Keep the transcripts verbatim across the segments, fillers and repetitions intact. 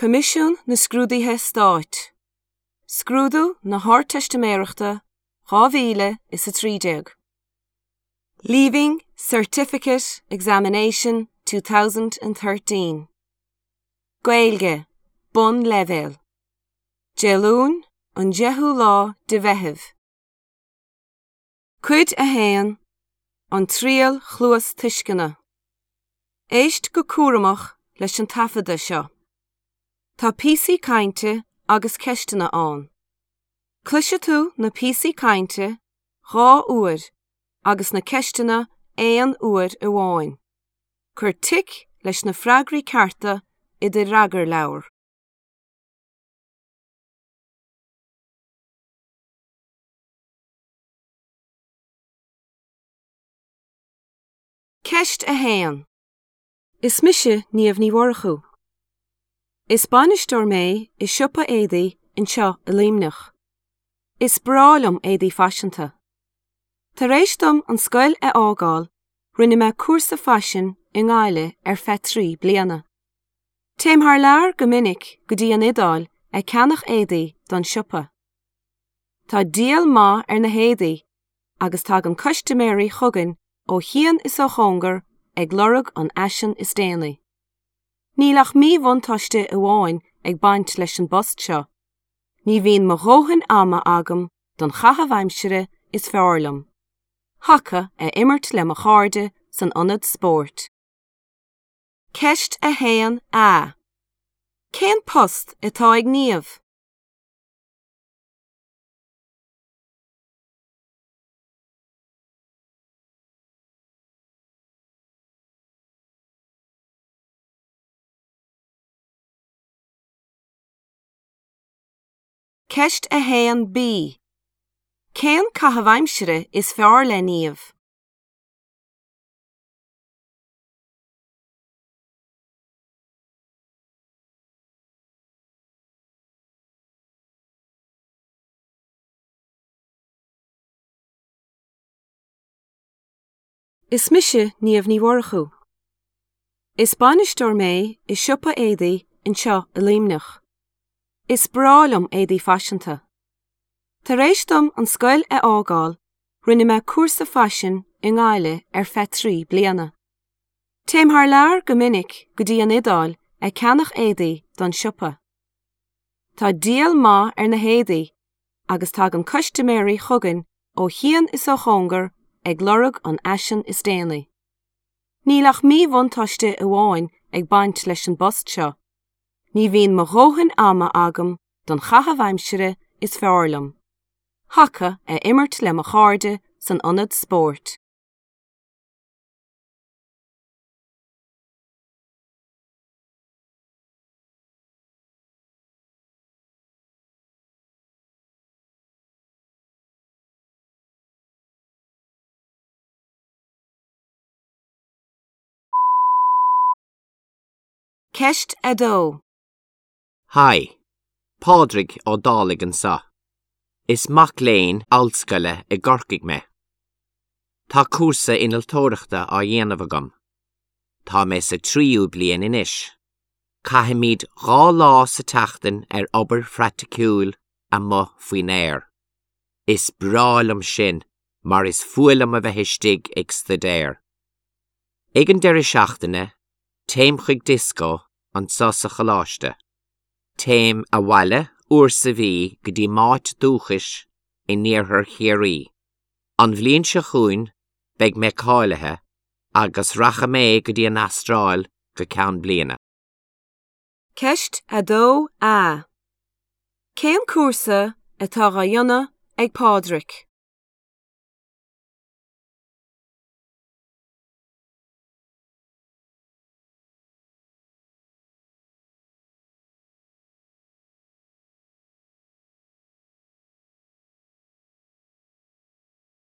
Coimisiún na Scrúduithe Stáit. Scrúdú na hArdteistiméireachta dhá mhíle is a trí déag. Leaving Certificate Examination two thousand and thirteen. Gaeilge, Bunleibhéal. Dé Luain, an deichiú lá de Mheitheamh. Cuid a haon, an triail chluastuisceana. Éist go cúramach leis an taifeadadh seo. Tá píosaí cainte agus ceisteanna ann. Cloisfidh tú na píosaí cainte dhá uair agus na ceisteanna aon uair amháin. Cuir tic leis na freagraí cearta i do fhreagarleabhar. Ceist a haon. Is mise Niamh Ní Mhurchú. Is bainisteoir mé i siopa éadaí anseo i Luimneach. Is breá liom éadaí faiseanta. Tar éis dom an scoil a fhágáil, rinne mé cúrsa faisin i nGaillimh ar feadh trí bliana. Téim thar lear go minic go dtí an Iodáil ag ceannach éadaí don siopa. Tá díol maith ar na héadaí agus tagann custaiméirí chugainn ó chian is ó chóngar ag lorg an fhaisin is déanaí. Níl ach míbhuntáiste amháin ag baint leis an bpost seo. Ní bhíonn mo dhóthain ama agam don chaitheamh aimsire is fearr liom. Haca a imirt le mo chairde san ionad spóirt. Ceist a haon A. Cén post atá ag Niamh? Ceist a haon B. Cén caitheamh aimsire is fearr le Niamh? Is mise Niamh Ní Mhurchú. Is bainisteoir mé i siopa éadaí anseo i Luimneach. Is breá liom éadaí faiseanta. Tar éis dom an scoil a fhágáil, rinne mé cúrsa faisin i nGaillimh ar feadh trí bliana. Téim thar lear go minic go dtí an Iodáil ag ceannach éadaí don siopa. Tá díol maith ar na héadaí agus tagann custaiméirí chugainn ó chian is ó chóngar ag lorg an fhaisin is déanaí. Níl ach míbhuntáiste amháin ag baint leis an bpost seo. Ní bhíonn mo dhóthain ama agam don chaitheamh aimsire is fearr liom. Haca a imirt le mo chairde san ionad spóirt. Ceist a dó. Hi, Pádraig Ó Dálaigh anseo. Is mac léinn ollscoile i gCorcaigh mé. Tá cúrsa innealtóireachta á dhéanamh agam. Tá mé sa tríú bliain anois. Caithimid dhá lá sa tseachtain ar obair phraiticiúil amuigh faoin aer. Is breá liom sin mar is fuath liom a bheith istigh ag staidéar. Ag an deireadh seachtaine, téim chuig dioscó anseo sa choláiste. Téim abhaile uair sa mhí go dtí m'áit dúchais in iarthar Chiarraí. An bhliain seo chugainn beidh mé cáilithe agus rachaidh mé go dtí an Astráil go ceann bliana. Ceist a dó A. Cén cúrsa atá á dhéanamh ag Pádraig?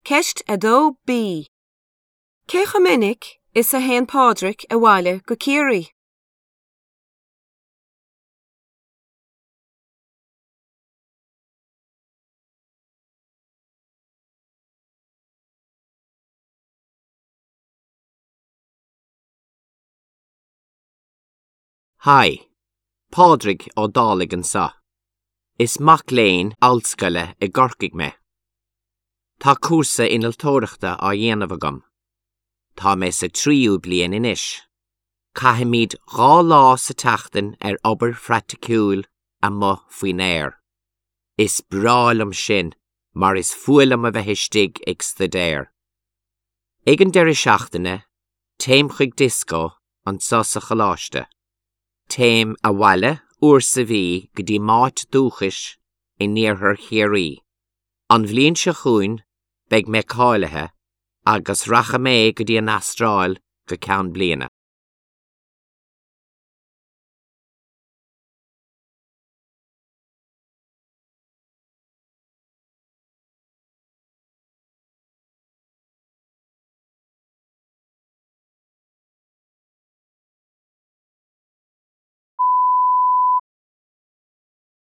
Ceist a dó B. Cé chomh minic is a théann Pádraig abhaile go Ciarraí? Hi, Pádraig Ó Dálaigh anseo. Is mac léinn ollscoile i gCorcaigh mé. Tá cúrsa innealtóireachta á dhéanamh agam. Tá mé sa tríú bliain anois. Caithimid dhá lá sa tseachtain ar obair phraiticiúil amuigh faoin aer. Is breá liom sin mar is fuath liom a bheith istigh ag staidéar. Ag an deireadh seachtaine, téim chuig dioscó anseo sa choláiste. Téim abhaile uair sa mhí go dtí m'áit dúchais in iarthar Chiarraí. An bhliain seo chugainn beidh mé cáilithe agus rachaidh mé go dtí an Astráil go ceann bliana.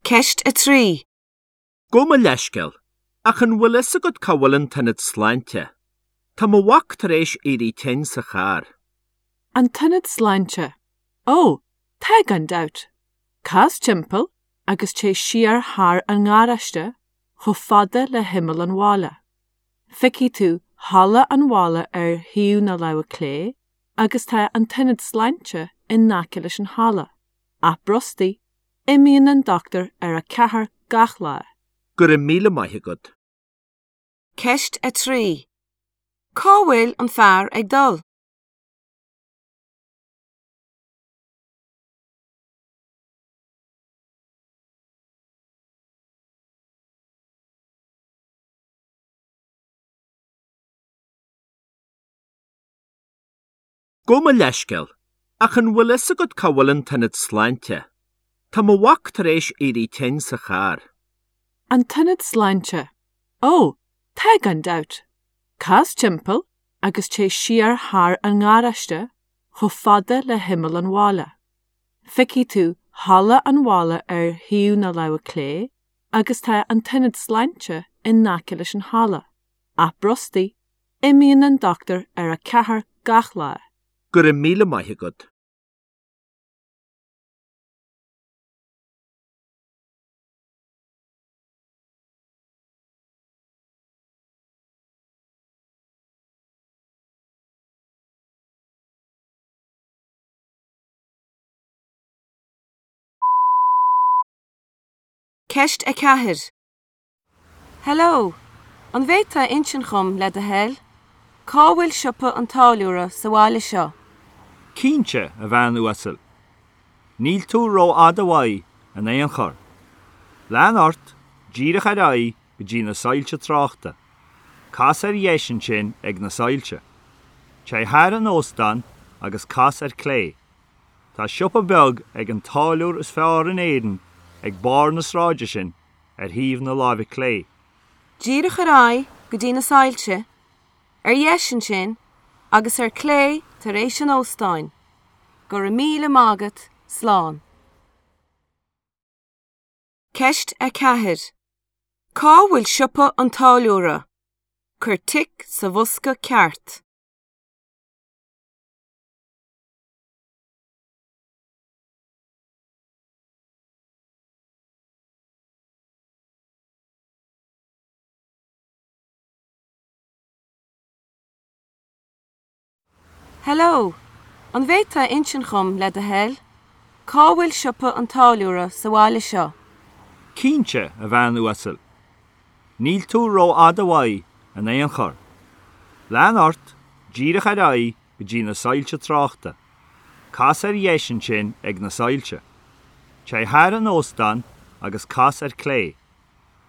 Ceist a trí. Gabh mo leithscéal, ach an bhfuil fhios agat cá bhfuil an t-ionad sláinte? Tá mo mhac tar éis éirí tinn sa charr. An t-ionad sláinte. Ó, tá gan dabht. Cas timpeall agus téigh siar thar an ngaráiste chomh fada le himeall an bhaile. Feicfidh tú halla an bhaile ar thaobh na láimhe clé agus tá an t-ionad sláinte in aice leis an halla. Ach brostaigh, imíonn an dochtúir ar a ceathair gach lá. Go raibh míle maith agat. Ceist a trí. Cá bhfuil an fear ag dul? Gabh mo leithscéal, ach an bhfuil fhios agat cá bhfuil an t-ionad sláinte? Tá mo mhac tar éis éirí tinn sa charr. An t-ionad sláinte. Ó, tá gan dabht. Cas timpeall agus téigh siar thar an ngaráiste chomh fada le himeall an bhaile. Feicfidh tú halla an bhaile ar thaobh na láimhe clé agus tá an t-ionad sláinte in aice leis an halla. Ach brostaigh, imíonn an dochtúir ar a ceathair gach lá. Go raibh míle maith agat. Ceist a ceathair. Hello, an bhféadfá insint dhom le do thoil? Cá bhfuil siopa an táilliúra sa bhaile seo? Cinnte a bhean uasal. Níl tú rófhada uaidh in aon chor. Lean ort, díreach ar aghaidh go dtí na soilse tráchta. Cas ar dheis ansin ag na soilse. Téigh thar an óstán agus cas ar clé. Tá siopa beag ag an táilliúir is fearr in Éirinn ag barr na sráide sin ar thaobh na láimhe clé. Díreach ar aghaidh go dtí na soilse, ar dheis ansin agus ar clé tar éis an óstáin. Go raibh míle maith agat, slán. Ceist a ceathair. Cá bhfuil siopa an táilliúra? Cuir tic sa bhosca ceart. Hello, an bhféadfá insint dhom le do thoil? Cá bhfuil siopa an táilliúra sa bhaile seo? Cinnte a bhean uasal. Níl tú rófhada uaidh in aon chor. Lean ort, díreach ar aghaidh go dtí na soilse tráchta. Cas ar dheis ansin ag na soilse. Téigh thar an óstán agus cas ar clé.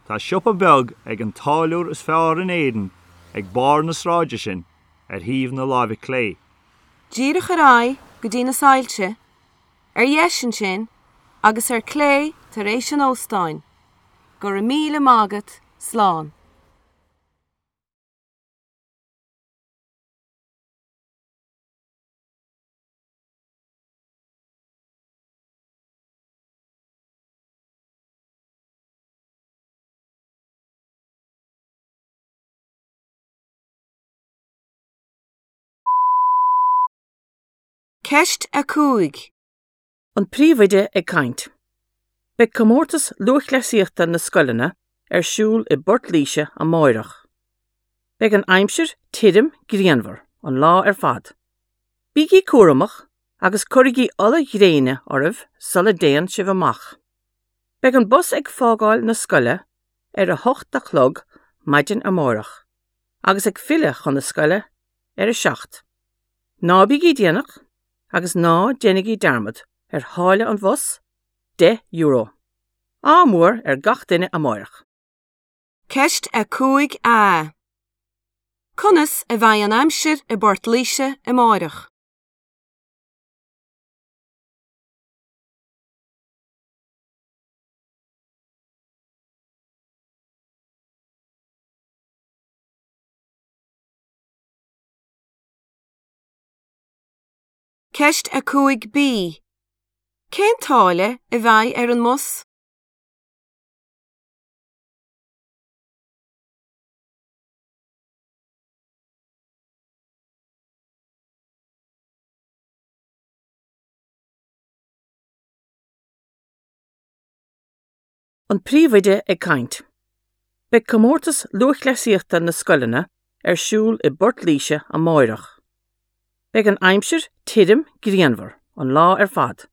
Tá siopa beag ag an táilliúir is fearr in Éirinn ag barr na sráide sin ar thaobh na láimhe clé. Díreach ar aghaidh go dtí na soilse, ar dheis ansin agus ar clé tar éis an óstáin. Go raibh míle maith agat, slán. Ceist a cúig. An príomhoide ag caint. Beidh comórtas lúthchleasaíochta na scoileanna ar siúl i bPort Laoise amárach. Beidh an aimsir tirim grianmhar an lá ar fad. Bígí cúramach agus cuirigí ola ghréine oraibh sula dtéann sibh amach. Beidh an bus ag fágáil na scoile ar a hocht a chlog maidin amárach, agus ag filleadh chun na scoile ar a seacht. Ná bígí déanach agus ná déanaigí dearmad ar tháille an bhus, deich euro. Ádh mór ar gach duine amárach. Ceist a cúig A. Conas a bheidh an aimsir i bPort Laoise amárach? Ceist a cúig B. Cén táille a bheidh ar an mbus? An príomhoide ag caint. Beidh comórtas lúthchleasaíochta na scoileanna ar siúl i bPort Laoise amárach. Beidh an aimsir tirim grianmhar an lá ar fad.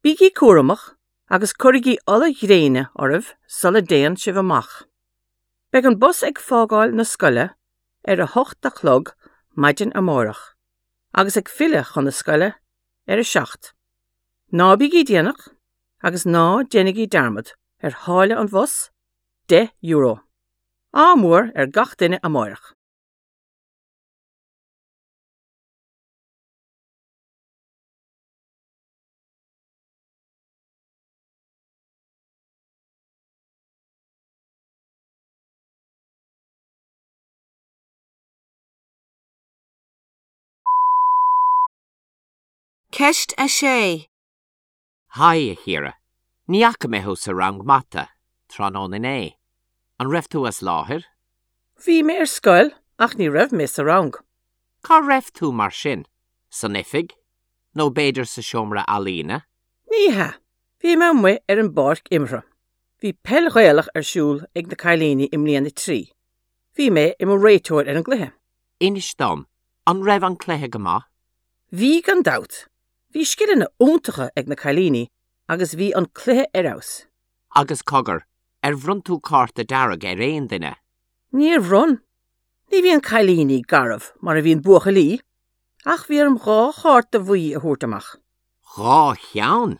Bígí cúramach agus cuirigí ola ghréine oraibh sula dtéann sibh amach. Beidh an bus ag fágáil na scoile ar a hocht a chlog maidin amárach, agus ag filleadh chun na scoile ar a seacht. Ná bígí déanach agus ná déanaigí dearmad ar tháille an bhus, deich euro. Ádh mór ar gach duine amárach. Ceist a sé. Haigh, a Chiara. Ní fhaca mé thú sa rang mata, tráthnóna inné. An raibh tú as láthair? Bhí mé ar scoil ach ní raibh mé sa rang. Cá raibh tú mar sin? San oifig? Nó b'fhéidir sa seomra ealaíne? Ní hea, bhí mé amuigh ar an bpáirc imeartha. Bhí peil Ghaelach ar siúl ag na cailíní i mbliain a trí. Bhí mé i mo réiteoir ar an gcluiche. Inis dom, an raibh an cluiche go maith? Bhí gan dabht. Bhí scileanna iontacha ag na cailíní agus bhí an cluiche ar fheabhas. Agus cogar, ar bhronn tú cárta dearg ar aon duine? Níor bhronn. Ní bhíonn cailíní garbh mar a bhíonn buachaillí, ach bhí orm dhá chárta bhuí a thabhairt amach. Dhá cheann?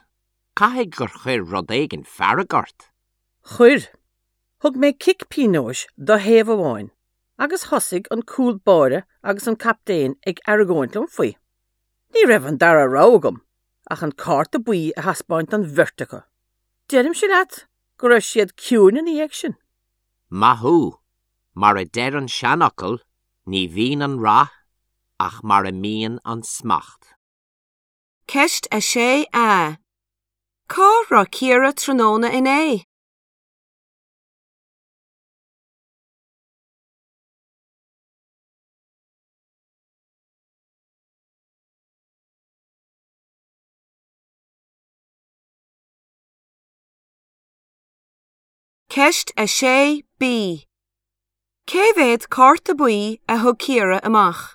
Caithfidh gur chuir rud éigin fearg ort. Chuir. Thug mé cic pionóis do thaobh amháin, agus thosaigh an cúl báire agus an captaen ag argóint liom faoi. Ní raibh an dara rogha agam, ach an cárta buí a thaispeáint don bheirt acu. Deirimse leat go raibh siad ciúin ina dhiaidh sin. Maith thú, mar a deir an seanfhocal, ní bhíonn an rath ach mar a mbíonn an smacht. Ceist a sé A. Cá raibh Ciara tráthnóna inné? Ceist a sé B. Cé mhéad cárta buí a thug Ciara amach?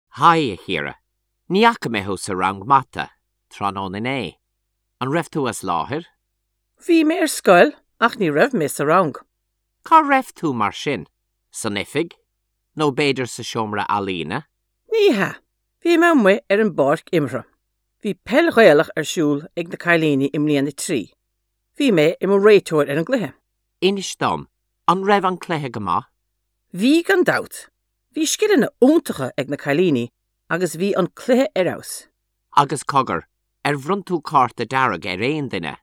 Haigh, a Chiara. Ní fhaca mé thú sa rang mata, tráthnóna inné. An raibh tú as láthair? Bhí mé ar scoil ach ní raibh mé sa rang. Cá raibh tú mar sin? San oifig? Nó b'fhéidir sa seomra ealaíne? Ní hea, bhí mé amuigh ar an bpáirc imeartha. Bhí peil Ghaelach ar siúl ag na cailíní i mbliain a trí. Bhí mé i mo réiteoir ar an gcluiche. Inis dom, an raibh an cluiche go maith? Bhí gan dabht. Bhí scileanna iontacha ag na cailíní agus bhí an cluiche ar fheabhas. Agus cogar, ar bhronn tú cárta dearg ar aon duine?